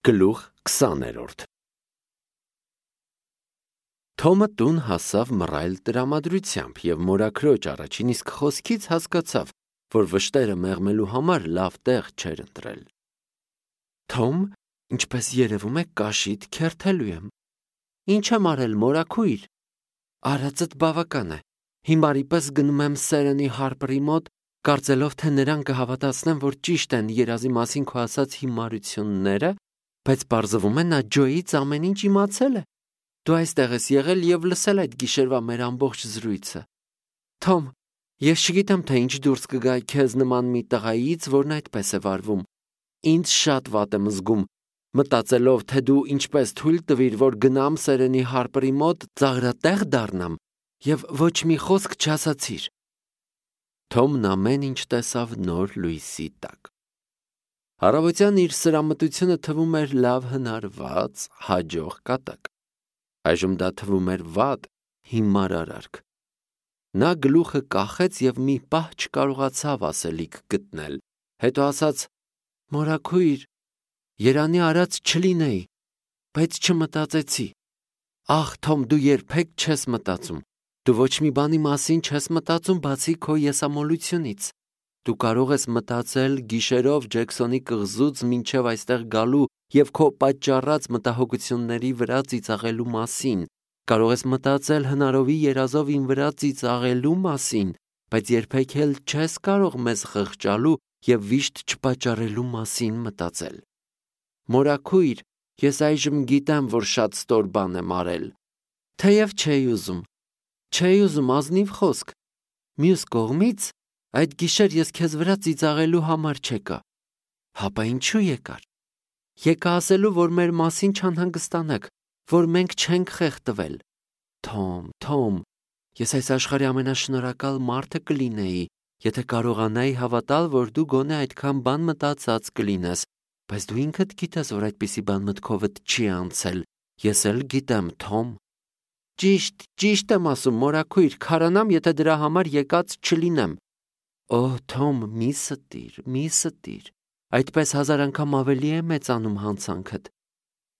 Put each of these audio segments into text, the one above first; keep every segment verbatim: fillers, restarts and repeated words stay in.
Գլուխ քսաներորդ Թոմը տուն հասավ մռայլ տրամադրությամբ և մորաքրոջ առաջին իսկ խոսքից հասկացավ, որ վշտերը մեղմելու համար լավ տեղ չէր ընտրել։ Թոմ, ինչպես երևում է, կաշիդ քերթելու եմ։ Ինչ եմ արել, մորաքույր։ Արածդ բավական է։ Հիմարի պես գնում եմ Սերենի Հարպրի մոտ, կարծելով, թե նրան կհավատացնեմ, որ ճիշտ են երազի մասին քո ասած հիմարությունները, բայց պարզվում է նա Ջոյից ամեն ինչ իմացել է։ Դու այստեղ ես եղել և լսել այդ գիշերվա մեր ամբողջ զրույցը։ Թոմ, ես չգիտեմ, թե ինչ դուրս կգա քեզ նման մի տղայից, որն այդպես է վարվում։ Ինձ շատ վատ եմ զգում, մտածելով, թե դու ինչպես թույլ տվիր, որ գնամ Սերենի Հարպրի մոտ, ծաղրատեղ դառնամ և ոչ մի խոսք չասացիր։ Թոմն ամեն ինչ տեսավ նոր լույսի տակ։ Առավոտյան իր սրամտությունը թվում էր լավ հնարված, հաջող կատակ։ Այժմ դա թվում էր վատ, հիմար արարք։ Նա գլուխը կախեց և մի պահ չկարողացավ ասելիք գտնել, հետո ասաց. «Մորաքույր, երանի արած չլինեի, բայց չմտածեցի»։ Ախ, Թոմ, դու երբեք չես մտածում։ Դու ոչ մի բանի մասին չես մտածում, բացի քո եսամոլությունից։ Դու կարող ես մտածել գիշերով Ջեքսոնի կղզուց մինչև այստեղ գալու և քո պատճառած մտահոգությունների վրա ծիծաղելու մասին, կարող ես մտածել հնարովի երազով իմ վրա ծիծաղելու մասին, բայց երբեք էլ չես կարող մեզ խղճալու և վիշտ չպատճառելու մասին մտածել։ Մորաքույր, ես այժմ գիտեմ, որ շատ ստոր բան եմ արել։ Թեև չէի ուզում, չէի ուզում, ազնիվ խոսք։ Մյուս կողմից, այդ գիշեր ես քեզ վրա ծիծաղելու համար չեկա։ Հապա ինչու եկար։ Եկա ասելու, որ մեր մասին չանհանգստանաք, որ մենք չենք խեղդվել։ Թոմ, Թոմ, ես այս աշխարհի ամենաշնորհակալ մարդը կլինեի, եթե կարողանայի հավատալ, որ դու գոնե այդքան բան մտածած կլինես, բայց դու ինքդ գիտես, որ այդպիսի բան մտքովդ չի անցել։ Ես էլ գիտեմ, Թոմ։ Ճիշտ, ճիշտ եմ ասում, մորաքույր, քարանամ, եթե դրա համար եկած չլինեմ։ Օ, Թոմ, մի ստիր, մի ստիր։ Այդպես հազար անգամ ավելի է մեծանում հանցանքդ։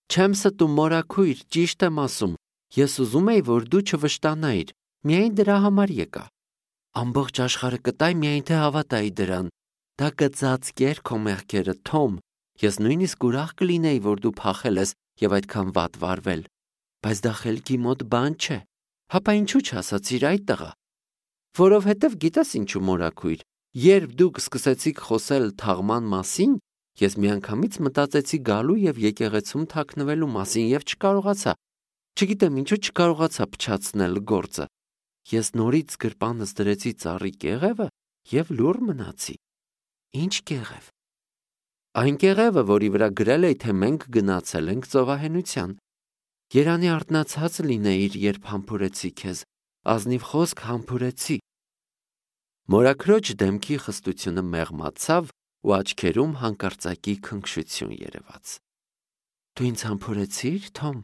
Չեմ ստում, մորաքույր, ճիշտ եմ ասում։ Ես ուզում էի, որ դու չվշտանայիր, միայն դրա համար եկա։ Ամբողջ աշխարհը կտայ, միայն թե հավատայի դրան։ Դա կծածկեր քո մեղքերը, Թոմ։ Ես նույնիսկ ուրախ կլինեի, որ դու փախել ես և այդքան վատ վարվել։ Բայց դա խելքի մոտ բան չէ։ Հապա ինչու չասացիր այդ տղա։ Որովհետև գիտես ինչու, մորաքույր, երբ դուք սկսեցիք խոսել թաղման մասին, ես միանգամից մտածեցի գալու և եկեղեցում թաքնվելու մասին և չկարողացա։ Չգիտեմ ինչու չկարողացա փչացնել գործը։ Ես նորից գրպանս դրեցի ծառի կեղևը և լուռ մնացի։ Ինչ կեղև։ Այն կեղևը, որի վրա գրել էի, թե մենք գնացել ենք ծովահենության։ Երանի արթնացած լինեիր, երբ համբուրեցի քեզ, ազնիվ խոսք համբուրեցի։ Մորաքրոջ դեմքի խստությունը մեղմացավ ու աչքերում հանկարծակի քնքշություն երևաց։ Դու ինձ համբուրեցի՞ր, Թոմ։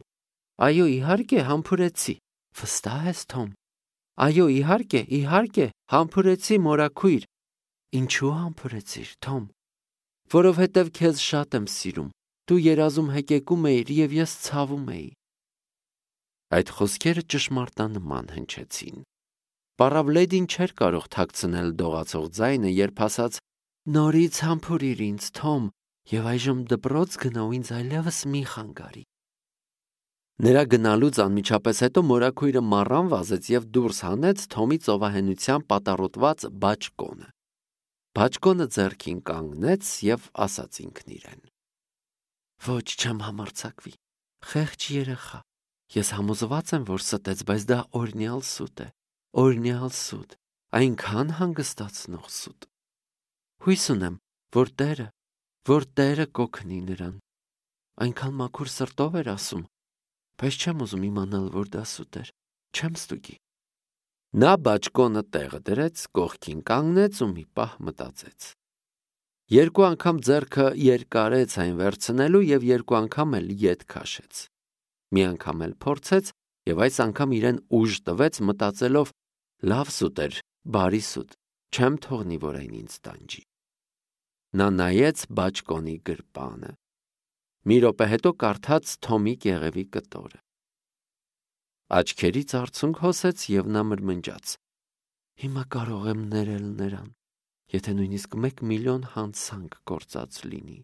Այո, իհարկե, համբուրեցի։ Վստահ ես, Թոմ։ Այո, իհարկե, իհարկե, համբուրեցի, մորաքույր։ Ինչու համբուրեցիր, Թոմ։ Որովհետև քեզ շատ եմ սիրում։ Դու երազում հեկեկում էիր և ես ցավում էի։ Այդ խոսքերը ճշմարտանման հնչեցին։ Պառավլեդին չէր կարող թաքցնել դողացող ձայնը, երբ ասաց. Նորից համբուրիր ինձ, Թոմ, և այժմ դպրոց գնա ու ինձ այլևս մի խանգարի։ Նրա գնալուց անմիջապես հետո մորաքույրը մառան վազեց և դուրս հանեց Թոմի ծովահենության պատառոտված բաճկոնը։ Բաճկոնը ձեռքին կանգնեց և ասաց ինքն իրեն. Ոչ, չեմ համարձակվի։ Խեղճ երեխա։ Ես համոզված եմ, որ ստեց, բայց դա օրհնյալ սուտ է։ Օրհնյալ սուտ, այնքան հանգստացնող սուտ։ Հույս ունեմ, որ Տերը, որ Տերը կօգնի նրան։ Այնքան մաքուր սրտով էր ասում, բայց չեմ ուզում իմանալ, որ դա սուտ էր։ Չեմ ստուգի։ Նա բաճկոնը տեղը դրեց, կողքին կանգնեց ու մի պահ մտածեց։ Երկու անգամ ձեռքը երկարեց այն վերցնելու և երկու անգամ էլ ետ քաշեց։ Մի անգամ էլ փորձեց և այս անգամ իրեն ուժ տվեց, մտածելով. լավ սուտ էր, բարի սուտ, չեմ թողնի, որ այն ինձ տանջի։ Նա նայեց բաճկոնի գրպանը։ Մի րոպե հետո կարդաց Թոմի կեղևի կտորը։ Աչքերից արցունք հոսեց և նա մրմնջաց. Հիմա կարող եմ ներել նրան, եթե նույնիսկ մեկ միլիոն հանցանք գործած լինի։